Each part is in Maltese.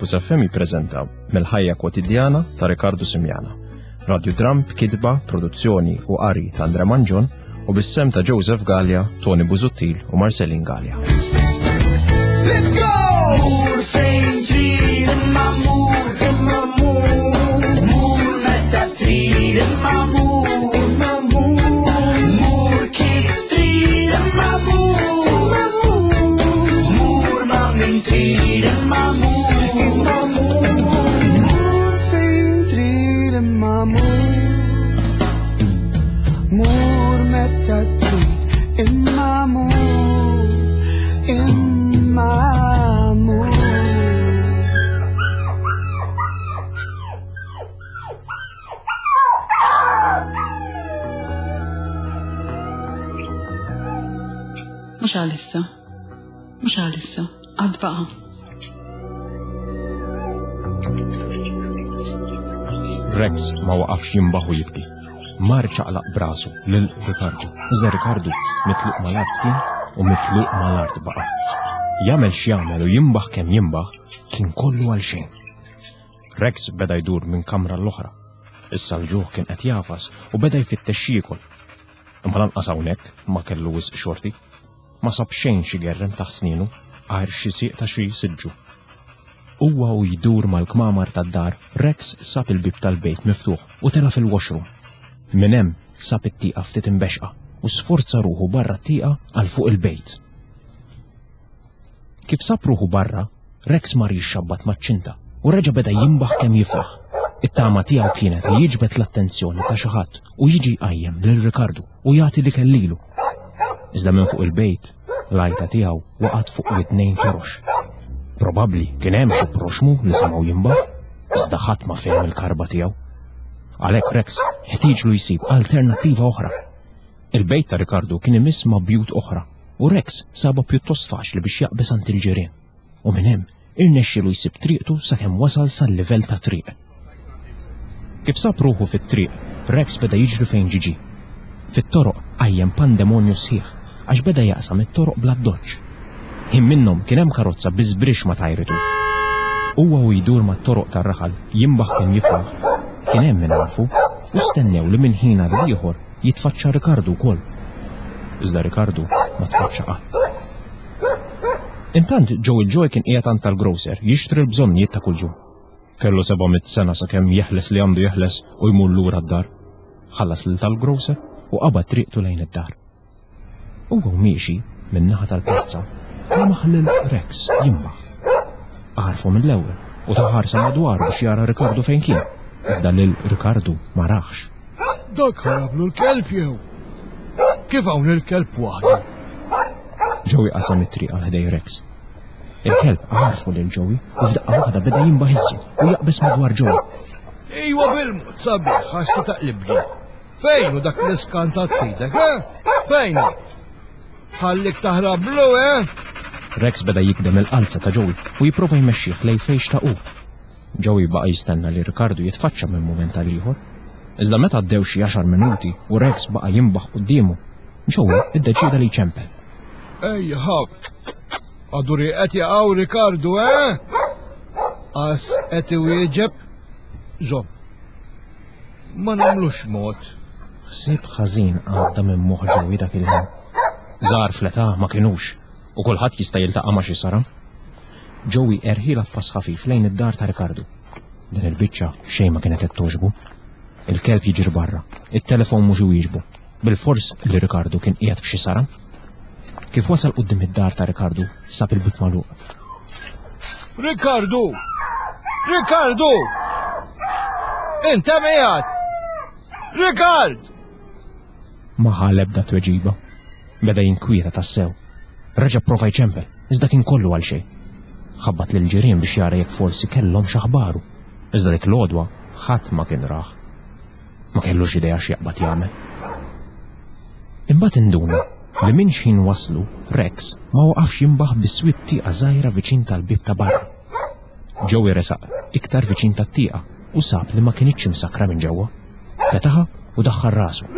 Campus FM jippreżenta Mill-ħajja kwotidjana ta' Ricardo Simiana. Radio Dram b'kitba, produzzjoni u qari ta' Andre Manġon u bis-sem ta' Joseph Gallia, Tony Busuttil u Marcelin Gallia. Let's go! Mur fejn trid imma mur imma mur Mur meta trid imma mur imma mur Mur kif trid imma mur imma mur Mur ma' min trid imma mur imma mur Mur fejn trid imma mur Mur meta trid imma mur imma mur Mhux għalissa. Mhux għalissa. Għad baqa'. Rex ma waqafx jimbaħ u jibki. Mar ċaqlaq brasu lil Ricardo. Iżda Ricardo mitluq mal-art kien u mitluq mal-art baqa'. Jagħmel x'jagħmel u jimbaħ kemm jimbaħ kien kollu għal xejn. Rex beda jdur minn kamra l-oħra. Issa l-ġuħ kien qed jafas u beda jfittex jiekol. Imma lanqas hawnhekk ma kellu wisq xorti. Ma sab xejn xi gerrem taħt snienu għajr xi sieq ta' xi siġġu. Huwa u jdur mal-kmamar tad-dar, Rex sab il-bieb tal-bejt miftuħ u tela' fil-washroom. Minn hemm sab it-tieqa ftit imbexqa u sforza ruħu barra t-tieqa għal fuq il-bejt. Kif sab ruħu barra, Rex mar jixxabbat maċ-ċinta u reġa' beda jimbaħ kemm jiflaħ. It-tama tiegħu kienet li jiġbed l-attenzjoni ta' xi ħadd u jiġi jqajjem lil Ricardo u jagħti l-ikel lilu. Iżda minn fuq il-bejt, l-għajta tiegħu waqgħet fuq widnejn torox. Probabbli kien hemm xi proxmu li semgħu jimbaħ, iżda ħadd ma fehem il-karba tiegħu. Għalhekk Rex ħtieġlu jsib alternattiva oħra. Il-bejt ta' Ricardo kien imiss ma' bjut oħra u Rex sabha pjuttost faċli biex jaqbeż għand il-ġirien. U minn hemm irnexxielu jsib triqtu sakemm wasal sal-livell tat-triq. Kif sab ruħu fit-triq, Rex beda jiġri fejn ġiġi. Fit-toroq qajjem pandemonju sħiħ għax beda jaqsam it-toroq bl-addoċċ. Ħin minnhom kien hemm karozza bi żbrixx ma tajritu. Huwa u jdur mat-toroq tar-raħal jimbaħ kemm jiflaħ, kien hemm min għarfu u stennew li minn ħin għal ieħor jitfaċċa Ricardo wkoll. Iżda Ricardo ma tfaċċa qatt. Intant Joe il-Joy kien qiegħed għand tal-grocer jixtri l-bżonnijiet ta' kuljum. Kellu 700 sena sakemm jeħles li għandu jeħles u jmur lura d-dar. Ħallas lil tal-grocer u qabad triqtu lejn id-dar. Huwa miexi min-naħa tal-pjazza lemaħ lil Rex jimbaħ. Għarfu mill-ewwel u ta ħarsa madwaru biex jara Ricardo fejn kien. Iżda lil Ricardo ma raħx. Dak ħarablu l-kelb jew? Kif hawn il-kelb waħdu? Joey qasam it-triq għal ħdej Rex. Il-kelb għarfu lil Joey u f'daqqa waħda beda jimbaħ iżjed u jaqbeż madwar Joey. Iwa bil-mod sabiħ għax se taqlibni. Fejn hu dak l-iskantat sidek, eh? Fejn hu? Ħallik taħrablu, eh? Rex beda jikdem il-qalza ta' Joey u jipprova jmexxih lej fejn xtaqu. Joey baqa' jistenna li Ricardo jitfaċċa minn mument għal ieħor. Iżda meta għaddew xi għaxar minuti u Rex baqa' jimbaħ quddiemu, Joey iddeċieda li jċempel. Ejja, ħa. Għadu rieqed jaqaw Ricardo, eh? Qas qed iwieġeb. Żomm. Ma nagħmlux mod. Ħsieb ħażin għadda minn moħħ Joey dak il-ħin. Żgħar fl-età ma kinux u kulħadd jista' jiltaqa' ma' xi saram. Joey erħilha f'pass ħafif lejn id-dar ta' Ricardo. Din il-biċċa xejn ma kienet qed togħġbu. Il-kelb jiġri barra, it-telefon mhux iwieġbu. Bilfors li Ricardo kien qiegħed f'xi saram. Kif wasal quddiem id-dar ta' Ricardo, sab il-bieb magħluq. Ricardo! Ricardo! Inta miegħek! Ricard! Ma ħa l-ebda tweġiba. Beda jinkwieta tassew. Reġa' pprova jċempel, iżda kien kollu għal xejn. Ħabbat lill-ġirien biex jara jekk forsi kellhom x'aħbaru. Iżda dik l-għodwa ħadd ma kien rah. Ma kellux idea x'jaqbad jagħmel. Imbagħad induna li minn xħin waslu Rex ma waqafx jimbaħ biswit tieqa żgħira viċin tal-bieb ta' barra. Joey resaq iktar viċin tat-tieqa u sab li ma kinitx imsakkra minn ġewwa. Fetaħa u daħħal rasu.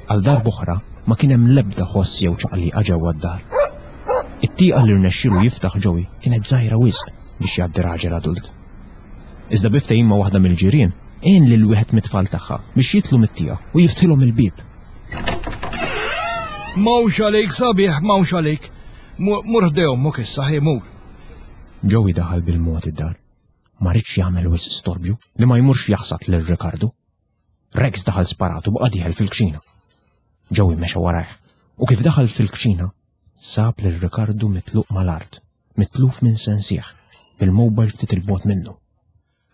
Għal darb'oħra ma kien hemm l-ebda ħoss jew ċaqliqa ġewwa d-dar. It-tieqa li rnexxielu jiftaħ Joey kienet żgħira wisq biex jgħaddi raġel adult. Iżda bi ftehim ma' waħda mill-ġirien, għen lil wieħed mit-tfal tagħha biex jidħlu mit-tieqa u jiftħilhom il-bieb. M'hawnx għalik sabiħ, m'hawnx għalik. Mur ħdej ommok issa, ħi mur. Joey daħal bil-mod id-dar. Ma ridx jagħmel wisq storbju li ma jmurx jaħsad lil Ricardo. Rex daħal sparat u baqa' dieħel fil-kċina. Joey mexa warajh u kif daħal fil-kċina sab lil Ricardo mitluq mal-art, mitluf minn sensieħ, bil-mobile ftit il-bot minnu.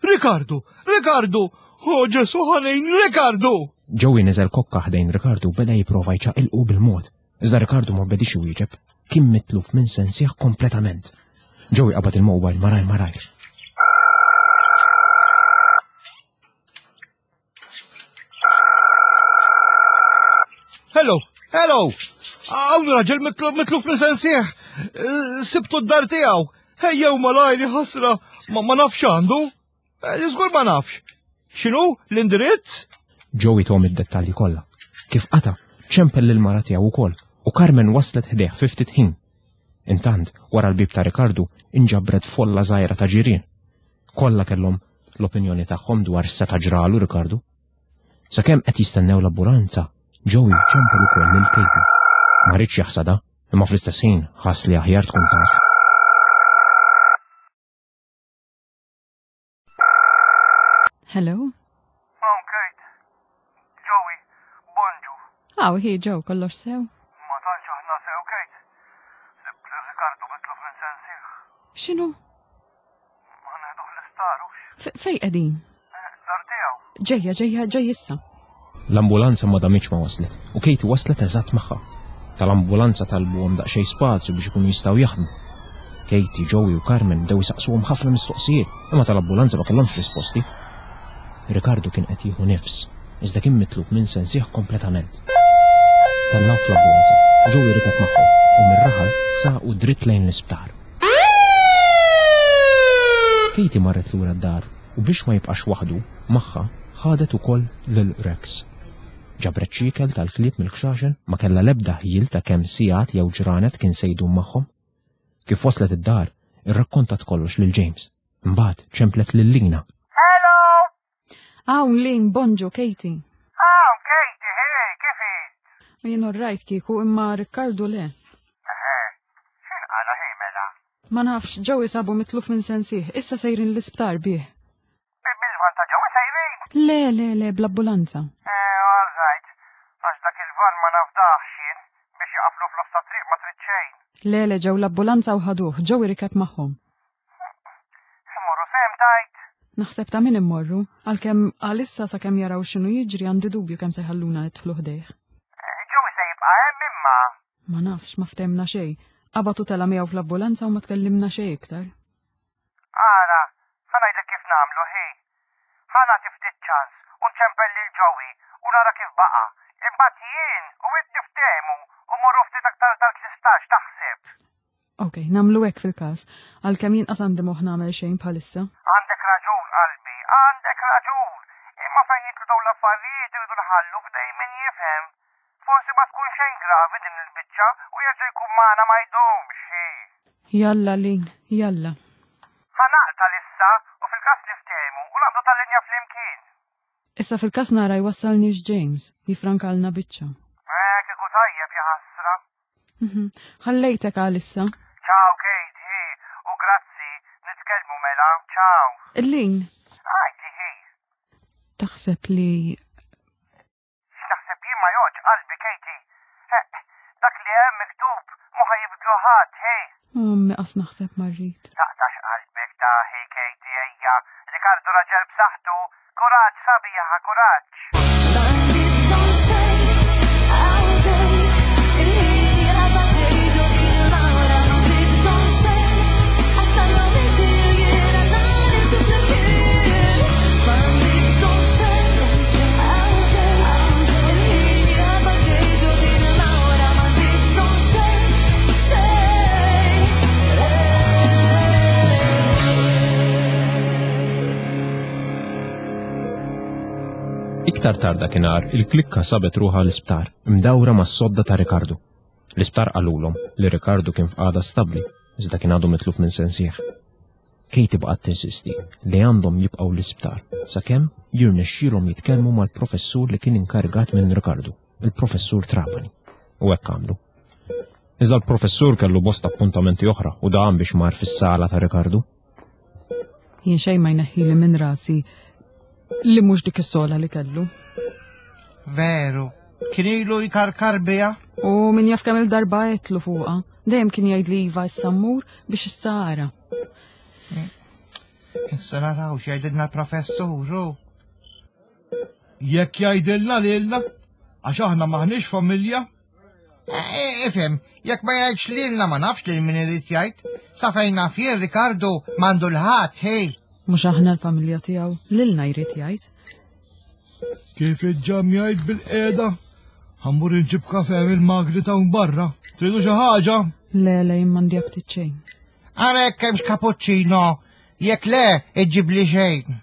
Ricardo! Ricardo! Oh Ġesu ħanin, Ricardo! Joey niżel kokka ħdejn Ricardo u beda jipprova jċaqilqu bil-mod. Iżda Ricardo ma bedix iwieġeb, kien mitluf minn sensieħ kompletament. Joey qabad il-mobile maraj maraj. Hello, hello! Hawn raġel mitluf minn sensieħ. Eh, sibtu d-dar tiegħu. Ejjew malajri ħasra, ma nafx għandu. Eh, żgur ma nafx. X'inhu l-indirizz? Joey tom id-dettalji kollha. Kif qata, ċempel lil mara tiegħu wkoll u Carmen waslet ħdejh fi ftit ħin. Intant, wara l-bib ta' Ricardo, inġabret folla żgħira ta' ġirien. Kollha kellhom l-opinjoni tagħhom dwar x'seta' ġralu Ricardo. Sakemm qed jistennew l-ambulanza, Joey ċempel ukoll lil Katie. Ma ridx jaħsadha, imma fl-istess ħin ħass li aħjar tkun taf. Hello? Hawn Kate. Joey, bonġu. Aw, hi Joe, kollox sew? Ma tantx aħna sew Kate. Sibt li Ricardo mitluf minn sensih. X'inhu? Ma neħduh l-isptar hux. Fej qegħdin? Eh, dar tiegħu. Ġejja, ġejja, ġej issa. L-ambulanza ma damitx ma waslet u Katie waslet eżatt magħha. Tal-ambulanza talbuhom daqsxejn spazju biex ikunu jistgħu jaħdmu. Katie, Joey u Carmen bdew isaqsuhom ħafna mistoqsijiet, imma tal-ambulanza ma kellhomx risposti. Ricardo kien qed jieħu nifs, iżda kien mitluf minn sensih kompletament. Tellgħu fl-ambulanza, Joey rikeb magħhom u mir-raħal saqu dritt lejn l-isptar. Katie marret lura d-dar u biex ma jibqax waħdu, magħha ħadet ukoll lil Rex. Ġabret xi ikel tal-klieb mill-kxaxen, ma kellha l-ebda ħjiel ta' kemm sigħat jew ġranet kien se jdum magħhom. Kif waslet id-dar, irrakkontat kollox lil James. Imbagħad ċemplet lil Lina. Hello! Hawn Lin, bonġu, Katie. Hawn Katie, hey, kif int? Jien rajt kieku imma Riccardo le. Eħe, x'inqala hi mela? Ma nafx, ġew isabu mitluf minn sensih, issa sejrin l-isptar bih. Bil-van ta' ġew sejrin? Le, le, le, bl-ambulanza. Eh, all right. Għax dak il-van ma nafdaħx jien biex jaqaflu f'nofs ta' triq ma trid xejn. Le, le, ġew l-ambulanza u ħaduh, ġew irikeb magħhom. Immorru sehem tgħid? Naħseb ta' min immorru, għalkemm għalissa sakemm jaraw x'inhu jiġri għandi dubju kemm se jħalluna nidħlu ħdejh. Joey se jibqa' hemm imma. Ma nafx, ma ftehmna xejn. Qabad u tela' miegħu fl-ambulanza u ma tkellimna xejn iktar. Ara, ħa ngħidlek kif nagħmlu, ħi. Ħa nagħti ftit ċans u nċempel lil Joey u nara kif baqa'. Imbagħad jien u int niftehmu u mmorru ftit aktar tard l-isptar, x'taħseb? Ok, namlu hekk fil-każ, għalkemm jien qas għandi moħħ nagħmel xejn bħalissa. Għandek raġun, qalbi, għandek raġun. Imma fejn jidħlu dawn l-affarijiet irridu nħallu f'idejn min jifhem. Forsi ma tkun xejn gravi din il-biċċa u jerġa' jkun magħna ma jdumx, hi. Jalla, Lin, jalla. Ħa naqta' issa u fil-każ niftehmu u naqbdu tal-linja flimkien. Issa fil-każ nara jwassalniex James, jifrankalna biċċa. Eh, kieku tajjeb jaħasra. Mhm. Ħallejtek għalissa. Ciao Kate, hi, u grazzi, nitkellmu mela, ciao. Lin. Għajti hi. Taħseb li. X'naħseb jien ma joġ qalbi Katie. Dak li hemm miktub mu ħajibdlu ħadd, hi. Ommi qas naħseb marrit. Taqtax qalbek ta' hi Katie ejja. Ricardo raġel b'saħħtu, Kuraġġ sabiħa, kuraġġ! Iktar tard dakinhar, il-klikka sabet ruħha l-isptar, imdawra mas-sodda ta' Ricardo. L-isptar qalulhom li Ricardo kien f'qagħda stabbli, iżda kien għadu mitluf minn sensih. Katie baqgħet tinsisti li għandhom jibqgħu l-isptar sakemm jirnexxielhom jitkellmu mal-professur li kien inkarigat minn Ricardo, il-professur Trapani. U hekk għamlu. Iżda l-professur kellu bosta appuntamenti oħra u dam biex mar fis-sala ta' Ricardo. Jien xejn ma jneħħili minn rasi li mhux dik is-sola li kellu. Veru, kien ilu jkarkar biha. U min jaf kemm il-darba għedtlu fuqha. Dejjem kien jgħidli iva issa mmur biex issa ara. Issa naraw x'jgħidilna l-professur. Jekk jgħidilna lilna, għax aħna maħniex familja. Eh, ifhem, jekk ma jgħidx lilna ma nafx lil min irid jgħid. Sa fejn naf jien Ricardo m'għandu l-ħadd, hej. Mhux aħna l-familja tiegħu, lilna jrid jgħid. Kif iġġam jgħid bil-qiegħda? Ħammur inġib kafe mill-magri ta' barra. Tridu xi ħaġa? Le, le, jien m'għandi aptit xejn. Ara jekk hemmx cappuccino, jekk le, iġġibli xejn.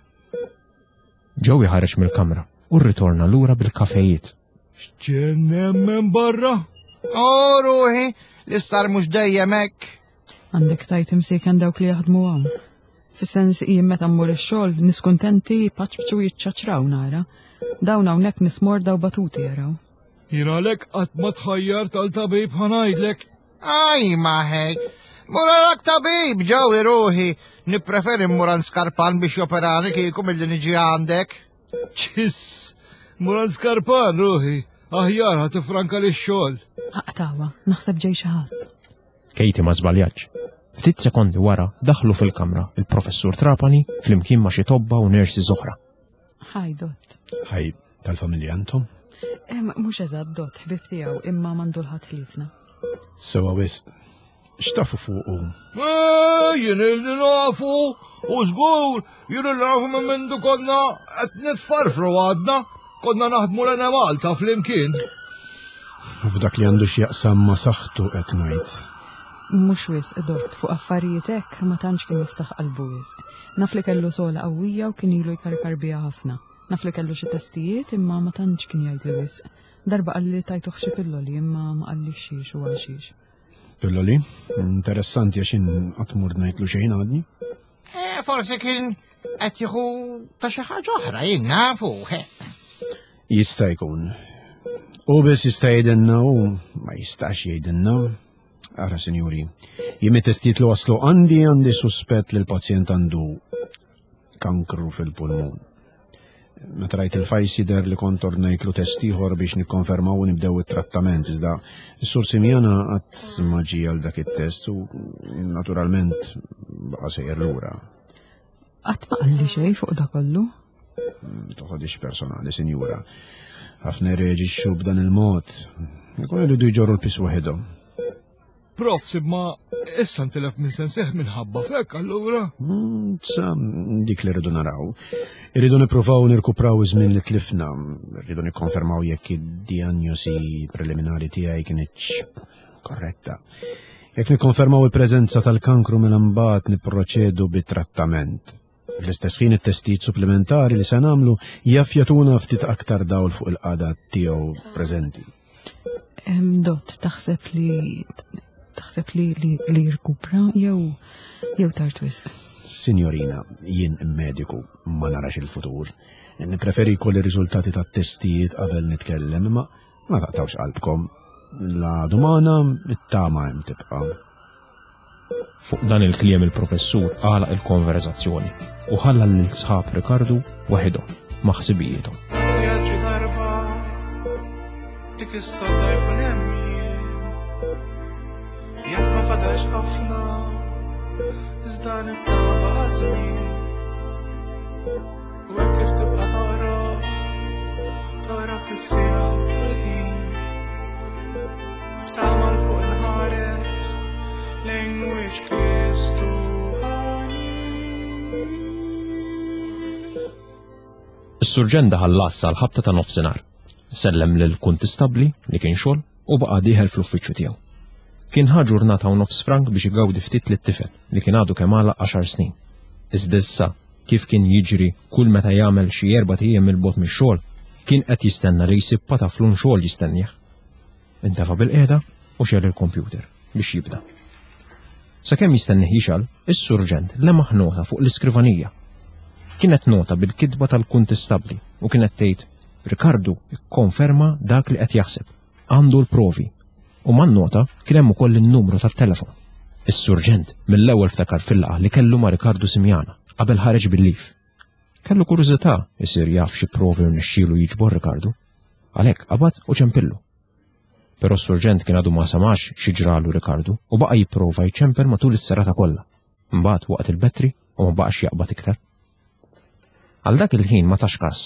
Joey ħareġ mill-kamra u rritorna lura bil-kafejiet. X'ġen hemm minn barra? O ruħi, l-istar mhux dejjem hekk. Għandek tajt imsieken dawk li jaħdmu hawn. Fis-sens jien meta mmur ix-xogħol nies kuntenti paċċu jiċċaċraw nara. Dawn hawnhekk nies morda u batuti jaraw. Jien għalhekk qatt ma tħajjart għal tabib ħa ngħidlek. Aj maħej, mur għalak tabib ġew ruħi, nippreferi mmur għand skarpan biex joperani kieku milli niġi għandek. Ċiss, mur għand skarpan ruħi, aħjar ħa tifranka li xogħol. Aqtawa, naħseb ġej xi ħadd. Katie ma żbaljatx. Ftit sekondi wara daħlu fil-kamra il-professur Trapani flimkien ma' xi tobba u nurses oħra. Hi, Dot. Hi, tal-familja intom? Mhux eżatt Dot, ħbib tiegħu, imma m'għandu l-ħadd ħliefna. Sewa wisq. X'tafu fuqu? Eh, jien illi nafu, u żgur, jien illi nafu minn mindu konna qed nitfarfru għadna, konna naħdmu l Malta flimkien. F'dak li għandu x'jaqsam ma' saħħtu qed ngħid. Mhux wisq, Dot, fuq affarijiet hekk ma tantx kien jiftaħ qalbu wisq. Naf li kellu sola qawwija u kien ilu jkarkar biha ħafna. Naf li kellu xi testijiet imma ma tantx kien jgħidli wisq. Darba qalli li tajtuh xi pilloli imma ma qallix xiex u għal xiex. Pilloli? Interessanti għax jien qatt mur ngħidlu xejn għadni. Eh, forsi kien qed jieħu ta' xi ħaġa oħra, jien nafu. Jista' jkun. U biss jista' jgħidilna u ma jistax jgħidilna. Ara, sinjuri, jien mit-testijiet li waslu għandi għandi suspett li l-pazjent għandu kankru fil-pulmun. Meta rajt il-fajs jidher li kont ordnajtlu test ieħor biex nikkonfermaw u nibdew it-trattament, iżda s-sur Simjana qatt ma ġie għal dak it-test u naturalment baqa' sejjer lura. Qatt ma qalli xejn fuq da kollu. Toħodix personali, sinjura. Ħafna jirreaġixxu b'dan il-mod. Ikun iridu jġorru l-pis waħedhom. Prof, imma issa ntilef minn sensih minħabba fek allura. Mm, sa dik li rridu naraw. Irridu nippruvaw nirkupraw iż-żmien li tlifna, rridu nikkonfermaw jekk id-diagnosi preliminari tiegħi kienitx korretta. Jekk nikkonfermaw il-preżenza tal-kankru mela mbagħad nipproċedu bit-trattament. Fl-istess ħin it-testijiet supplementari li se nagħmlu jaf jagħtuna ftit aktar dawl fuq il-qagħda tiegħu preżenti. Dott, taħseb li taħseb li li, li jirkupra jew jew tard wisq? Signorina, jien mediku ma narax il-futur. Nippreferi jkolli riżultati tat-testijiet qabel nitkellem, imma Ma taqtgħux qalbkom. La dumana, it-tama hemm tibqa'. Fuq dan il-kliem il-professur għalaq il-konverzazzjoni u ħalla lil sħab Rikardu waħidhom ma' ħsibijiethom. Vjaġġi darba f'dik is-sodda jkun hemm jien. Jaf ma fadax ħafna iżda nittama baqa' żmien. U hekk kif tibqa' toqrob, toqrob is-siegħa u l-ħin. B'tama 'l fuq inħares lejn wiċċ Kristu ħanin. Is-surġent daħal l-għassa għall-ħabta ta' nofsinhar. Sellem lill-kuntistabbli li kien xogħol u baqa' dieħel fl-uffiċċju tiegħu. Kien ħa ġurnata u nofs frank biex igawdi ftit lit-tifel li kien għadu kemm għalaq għaxar snin. Iżda issa, kif kien jiġri kull meta jagħmel xi erbat ijiem 'il bogħod mix-xogħol, kien qed jistenna li jsib pataflun xogħol jistennieh. Intefa' bilqiegħda. u xegħel il-kompjuter biex jibda. Sakemm jistennih jixgħal, is-surġent lemaħ nota fuq l-iskrivanija. Kienet nota bil-kitba tal-kuntistabbli u kienet tgħid Rikardu kkonferma dak li qed jaħseb. Għandu l-provi. U man-nota kien hemm ukoll in-numru tat-telefon. Is-surġent mill-ewwel ftakar fil-laqgħa li kellu ma' Rikardu Simiana qabel ħareġ bil-lif. Kellu kurżità jsir jaf xi provi rnexxielu jiġbor Rikardu. Għalhekk qabad u ċempillu. Però s-surġent kien għadu ma samax xi ġralu Rikardu u baqa' jipprova jċempel matul is-serata kollha. Imbagħad waqgħet il-battery u ma baqax jaqbad iktar. Għal dak il-ħin ma tax kas.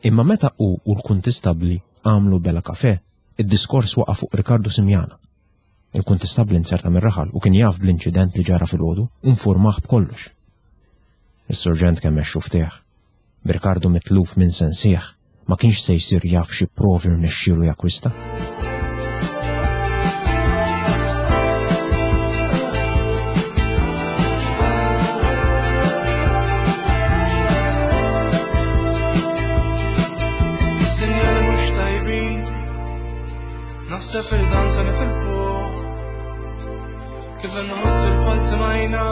Imma meta hu u l-kuntistabbli għamlu bela kafè, id-diskors waqa' fuq Rikardu Simiana. Il-kuntistabbli nzerta mir-raħal u kien jaf bl-inċident li ġara filgħodu u nfurmah b'kollox. Is-surġent kemmex xuftih. B'Rikardu mitluf minn sensih, ma kienx se jsir jaf xi provi rnexxielu jakkwista. Is-sinjali mhux tajbin, naħseb il dan se nitilfu. Kif inħoss il-palzi majna,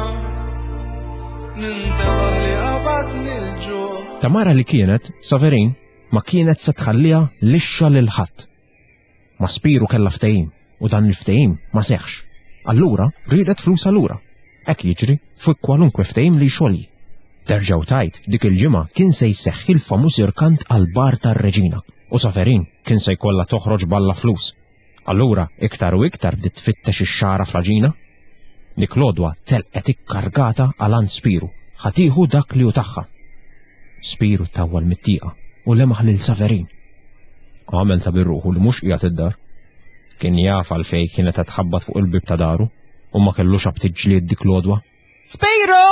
nintebaħ li qabadni l-ġuħ. Tamara li kienet, Saverin, ma kienet se tħalliha lixxa lil ħadd. Ma' Spiru kellha ftehim u dan il-ftehim ma seħħx. Allura riedet flusha lura. Hekk jiġri fuq kwalunkwe ftehim li jxolji. Terġa' u tgħid dik il-ġimgħa kien se jseħħ il-famuż irkant għall-bar tar-Reġina u Saverin kien se jkollha toħroġ balla flus. Allura iktar u iktar bdiet tfittex ix-xagħra fl-għaġina. Dik l-għodwa telqet ikkargata għal għand Spiru, ħa tieħu dak li hu tagħha. Spiru tawwal mit-tieqa u lemaħ lil Saverin. Għamel ta' bir-ruħu li mhux qiegħed id-dar. Kien jaf għalfejn kienet qed tħabbat fuq il-bieb ta' daru u ma kellux aptit ġlied dik l-għodwa. Spiru!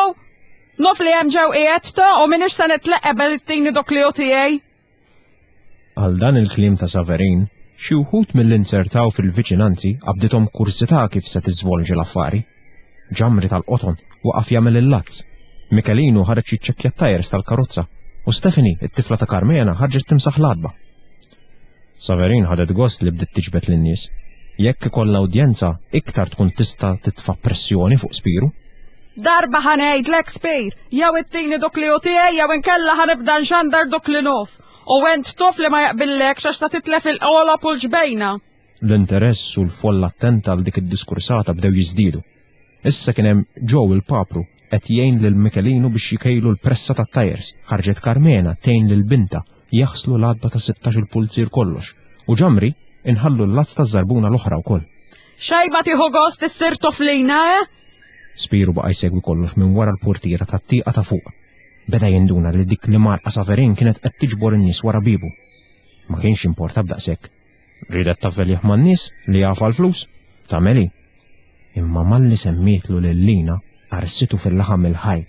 Nof li hemm ġew qiegħed to u m'iniex se nitleq qabel ittini dok li hu tiegħi. Għal dan il-kliem ta' Saverin, xi wħud milli nzertaw fil-viċinanzi qabdithom kurżità kif se tiżvolġi l-affari. Ġamri tal-qoton waqaf jagħmel il-lazz. Michelinu ħareġ jiċċekkja t-tajers tal-karozza u Stephanie, it-tifla ta' Carmena, ħarġet timsaħ l-għatba. Saverin ħadet gost li bdiet tiġbed lin-nies. Jekk ikollha udjenza, iktar tkun tista' titfa' pressjoni fuq Spiru. Darba ħa ngħidlek Spir, jew ittini dok li hu tiegħi jew inkella ħa nibda nxandar dok li nof. U ent tof li ma jaqbillekx għax ta' titlef il-qolob u l-ġbejna. L-interess u l-folla attenta għal dik id-diskursata bdew jiżdiedu. Issa kien hemm Joe il-papru qed jgħin lil Michelinu biex jkejlu l-pressa tat-tajers, ħarġet Carmena tgħin lil bintha jaħslu l-għatba ta' 16 il-pulzier kollox, u Ġamri inħallu l-lazz taż-żarbuna l-oħra wkoll. Xejn ma tieħu gost issir toflina, eh? Spiru baqa' jsegwi kollox minn wara l-purtiera tat-tieqa ta' fuq. Beda jinduna li dik li marqa Saverin kienet qed tiġbor in-nies wara biebu. Ma kienx jimporta b'daqshekk. Riedet tavvelih man-nies li jaf għall-flus, tagħmel hi. Imma malli semmietlu lil Lina qarsitu fil-laħam il-ħaj.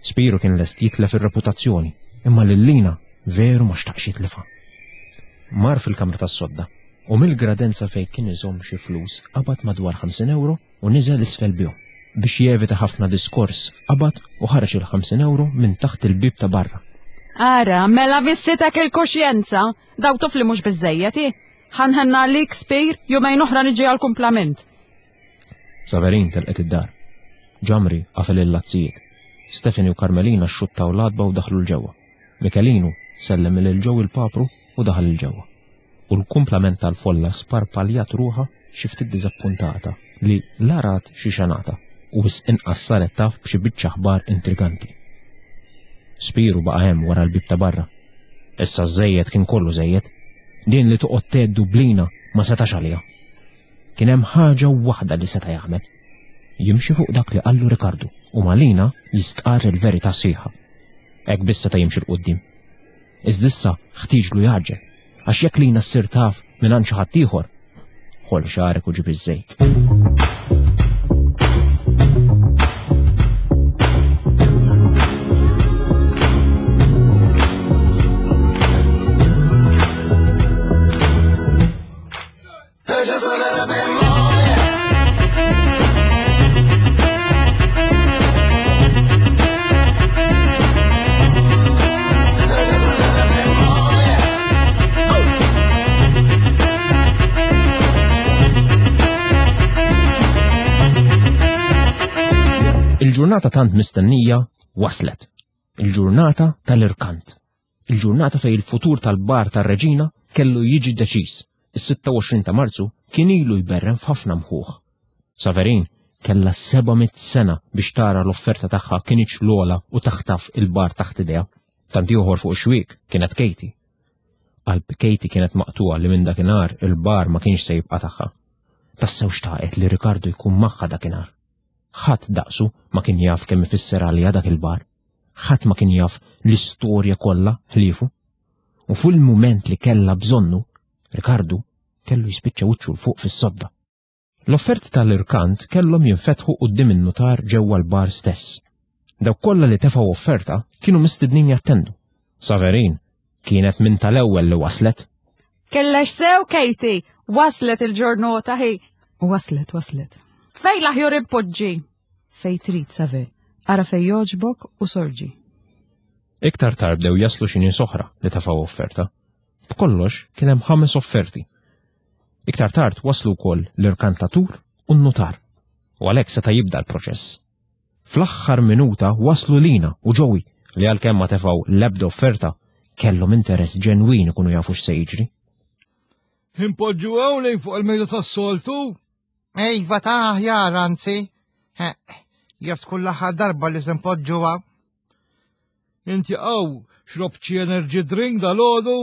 Spiru kien lest jitlef ir-reputazzjoni, imma lil Lina veru ma xtaqx jitlifha. Mar fil-kamra tas-sodda u mill-gradenza fejn kien iżomm xi flus qabad madwar 50 ewro u niżel isfel bihom. Biex jevita ħafna diskors, qabad u ħareġ il-50 ewro minn taħt il-bieb ta' barra. Ara, mela vissitek il-kuxjenza! Daw tuf li mhux biżżejjed, hi. Ħa nħenna għalik, Spir, jumejn oħra niġi għall-kumplament. Saverin telqet id-dar. Ġamri qafel il-lazzijiet. Stephanie u Carmelina xxuttaw l-għatba u daħlu 'l ġewwa. Michelinu sellem lil Joe il-papru u daħal 'il ġewwa. U l-kumplament tal-folla sparpaljat ruħha xi ftit diżappuntata li la rat xi xenata u wisq inqas saret taf b'xi biċċa aħbar intriganti. Spiru baqa' hemm wara l-bieb ta' barra. Issa ż-żejjed kien kollu żejjed. Din li toqgħod tgħeddu b'lina ma setax għaliha. Kien hemm ħaġa waħda li seta' jagħmel. Jimxi fuq dak li qallu Rikardu u ma' Lina jistqarr il-verità sħiħa. Hekk biss seta' jimxi 'l quddiem. Iżda issa ħtieġlu jgħaġġel, għax jekk Lina ssir taf mingħand xi ħadd ieħor, ħoll xagħrek u ġib iż-żejt. Il-ġurnata tant mistennija waslet. Il-ġurnata tal-irkant. Il-ġurnata fejn il-futur tal-bar tar-reġina kellu jiġi deċiż. Is-26 ta' Marzu kien ilu jberren f'ħafna mħuħ. Saverin kellha 700 sena biex tara l-offerta tagħha kinitx l-ogħla u taħtaf il-bar taħt idejha. Tant ieħor fuq ix-xwiek kienet Katie. Qalb Katie kienet maqtugħa li minn dakinhar il-bar ma kienx se jibqa' tagħha. Tassew xtaqet li Ricardo jkun magħha dakinhar. Ħadd daqsu ma kien jaf kemm ifisser għaliha dak il-bar. Ħadd ma kien jaf l-istorja kollha ħliefu. U fil-mument li kellha bżonnu, Ricardo kellu jispiċċa wiċċu 'l fuq fis-sodda. L-offerti tal-irkant kellhom jinfetħu quddiem in-nutar ġewwa l-bar stess. Dawk kollha li tefgħu offerta kienu mistednin jattendu. Saverin kienet minn tal-ewwel li waslet. Kellex sew, Katie! Waslet il-ġurnota hi. Waslet, waslet. Fej l-aħjor impoġġi? Fej trid, Save. Ara fej jogħġbok u sorġi. Iktar tard bdew jaslu xi nies oħra li tefgħu offerta. B'kollox kien hemm ħames offerti. Iktar tard waslu wkoll l-irkantatur u n-nutar. U għalhekk seta' jibda l-proċess. Fl-aħħar minuta waslu Lina u Joey li għalkemm ma tefgħu l-ebda offerta, kellhom interess ġenwin ikunu jafu x'se jiġri. Impoġġu hawn lejn fuq il-mejda tas-soltu? Iva ta' aħjar anzi. Jaf tkun l-aħħar darba li se npoġġuha. Inti għaw xrobt xi energy drink dal-għodu?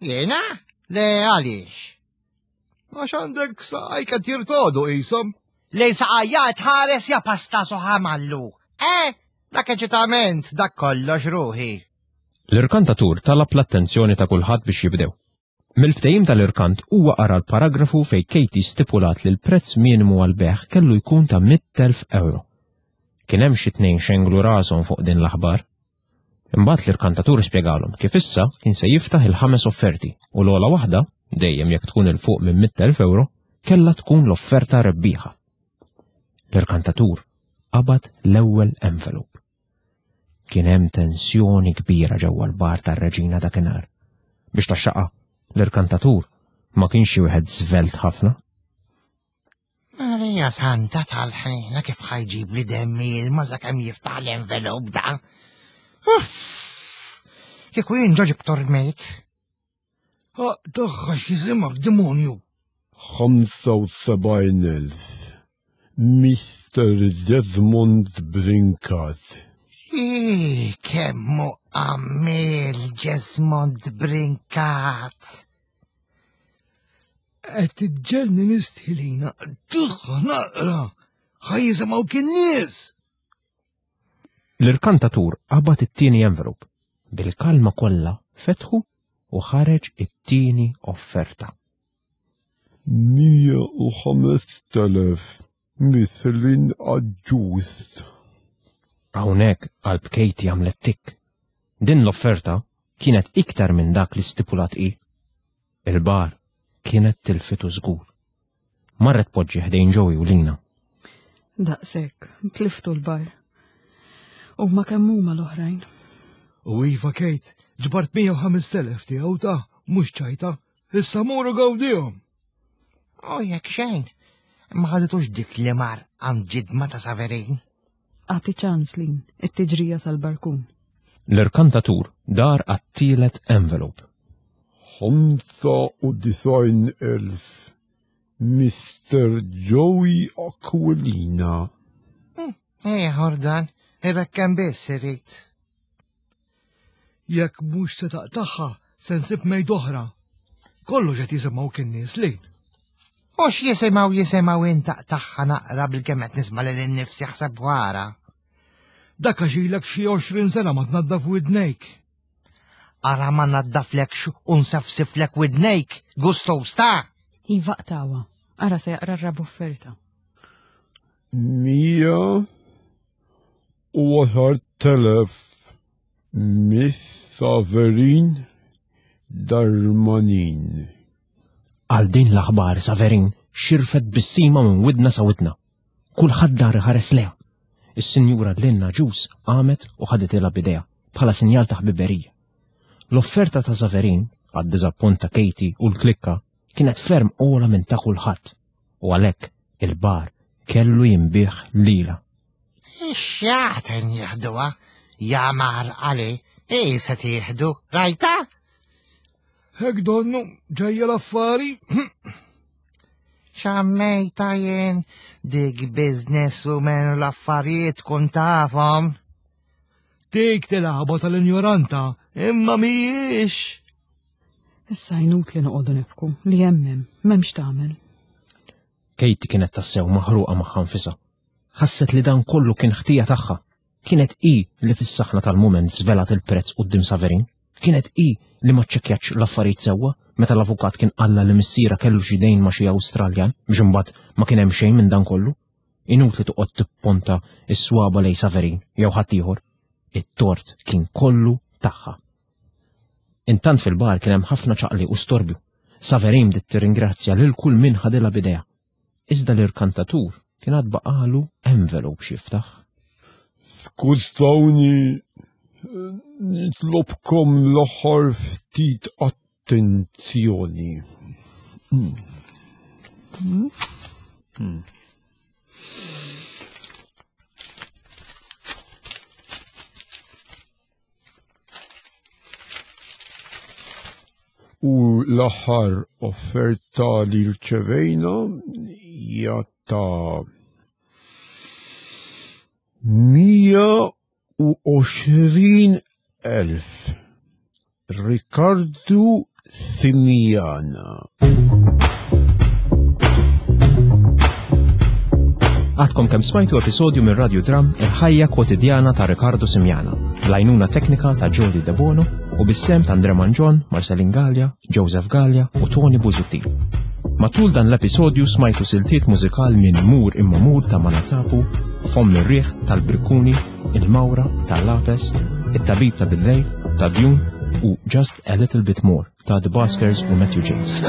Jiena? Le għaliex? Għax għandek saqajk qed jirtodu qishom. Lejn saqajja tħares ja pasta soħamallu. Eh, dak eċitament, dak kollox ruħi. L-irkantatur talab l-attenzjoni ta' kulħadd biex jibdew. Mill-ftehim tal-irkant huwa qara l-paragrafu fejn Katie stipulat li l-prezz minimu għall-bejgħ kellu jkun ta' 100,000 ewro. Kien hemm xi tnejn xenglu rashom fuq din l-aħbar. Imbagħad l-irkantatur spjegalhom kif issa kien se jiftaħ il-ħames offerti u l-ogħla waħda, dejjem jekk tkun 'il fuq minn 100,000 ewro, kellha tkun l-offerta rebbieħa. L-irkantatur qabad l-ewwel envelope. Kien hemm tensjoni kbira ġewwa l-bar tar-reġina dakinhar. Biex taxxaqha, l-irkantatur ma kienx xi wieħed żvelt ħafna. Marija Santa tal-ħnina kif ħajġib li demmi ilma sakemm jiftaħ l-envelop da. Uff! Kieku jien ġo ġibtu rmejt. Tagħha x'jisimha demonju. 75,000. Mr. Desmond Brincat. Ii, kemmu għammil Desmond Brincat. Qed tiġġelni nistħilina. Tagħha naqra. Ħaj jisimgħu kien nies. L-irkantatur qabad it-tieni envelope. Bil-kalma kollha fetħu u ħareġ it-tieni offerta. 105,000 Mithlin Aġġus. Hawnhekk qalb Katie għamlet tikk. Din l-offerta kienet iktar minn dak li stipulat hi. Il-bar kienet tilfitu żgur. Marret poġġi ħdejn Joey u Lina. Daqshekk, tliftu l-bar. U ma kemm huma l-oħrajn. U iva Kate, ġbart 105,000 tiegħu ta' mhux ċajta, issa muru gawdihom. U jekk xejn, ma ħaditux dik li mar għand ġidma ta' Saverin. Agħti ċans Lin, it-tiġrija sal-barkun. L-irkantatur dar għat-tielet envelope. 95,000 Mister Joey Aquilina. Ieħor dan, irrekkem biss irid. Jekk mhux se taqtagħha, se nsib mejd oħra. Kollox qed jisimgħu kien nies lejn. U x'jisimgħu jisimgħu int taqtagħha naqra bil-kemm qed nisma' lil innifsi ħseb wara. Dak għax ilek xi 20 sena ma tnaddaf widnejk. Ara ma naddaflekx u nsafsiflek widnejk, gusto sta. Iva qtawa. Ara se jaqra r-rab offerta. 110,000 Miss Saverin Darmanin. Għal din l-aħbar Saverin xirfet bissima minn widna sa widna. Kulħadd dar iħares leha. Is-Sinjura Linna Ġus qamet u ħaditilha b'idejha bħala sinjal ta' ħbiberija. L-offerta ta' Saverin, għad-diżappunt ta' Katie u l-klikka, kienet ferm ogħla minn ta' kulħadd u għalhekk il-bar kellu jinbiegħ lilha. Ix-xjaten jieħduha, ja maħrqali, hi se tieħdu, rajta? Hekk donnu ġejja l-affari. Xammejta jien dik business woman u l-affarijiet kun tafhom. Dik tilgħabha tal-injoranta, imma mhijiex. Issa inutli noqogħdu nibku li hemm hemm, m'hemmx tagħmel. Katie kienet tassew maħruqa magħha nfisha. Ħasset li dan kollu kien ħtija tagħha. Kienet hi li fis-saħna tal-mument żvelat il-prezz quddiem Saverin. Kienet hi li ma ċċekkjatx l-affarijiet sewwa meta l-avukat kien qallha li missierha kellu xi dejn ma' xi Awstraljan biex imbagħad ma kien hemm xejn minn dan kollu. Inutli toqgħod tipponta s-swaba lejn Saverin jew ħaddieħor. It-tort kien kollu tagħha. Intant fil-bar kien hemm ħafna ċaqliq u storbju. Saverin bdiet tirringrazzja lil kull min ħadilha b'idejha. Iżda l-irkantatur kien għad baqagħlu envelope x'jiftaħ. Skużawni, nitlobkom l-aħħar ftit attenzjoni. Hmm. Hmm. Hmm. U l-aħħar offerta li rċevejna hija ta' 120,000. Riccardo Simiana. Għadkom kemm smajtu episodju minn Radio Dram Il-ħajja kwotidjana ta' Riccardo Simiana, l-għajnuna teknika ta' Jody Debono u bis-sem ta' Andre Manġon, Marcelin Gallia, Joseph Gallia u Tony Busuttil. Matul dan l-episodju smajtu siltiet mużikal minn Mur imma Mur ta' Manatapu, Fomm ir-Riħ tal-Brikkuni, Il-Mawra tal-Lapes, It-Tabib ta' Billejl ta' Dune u Just a Little Bit More ta' The Baskers u Matthew James.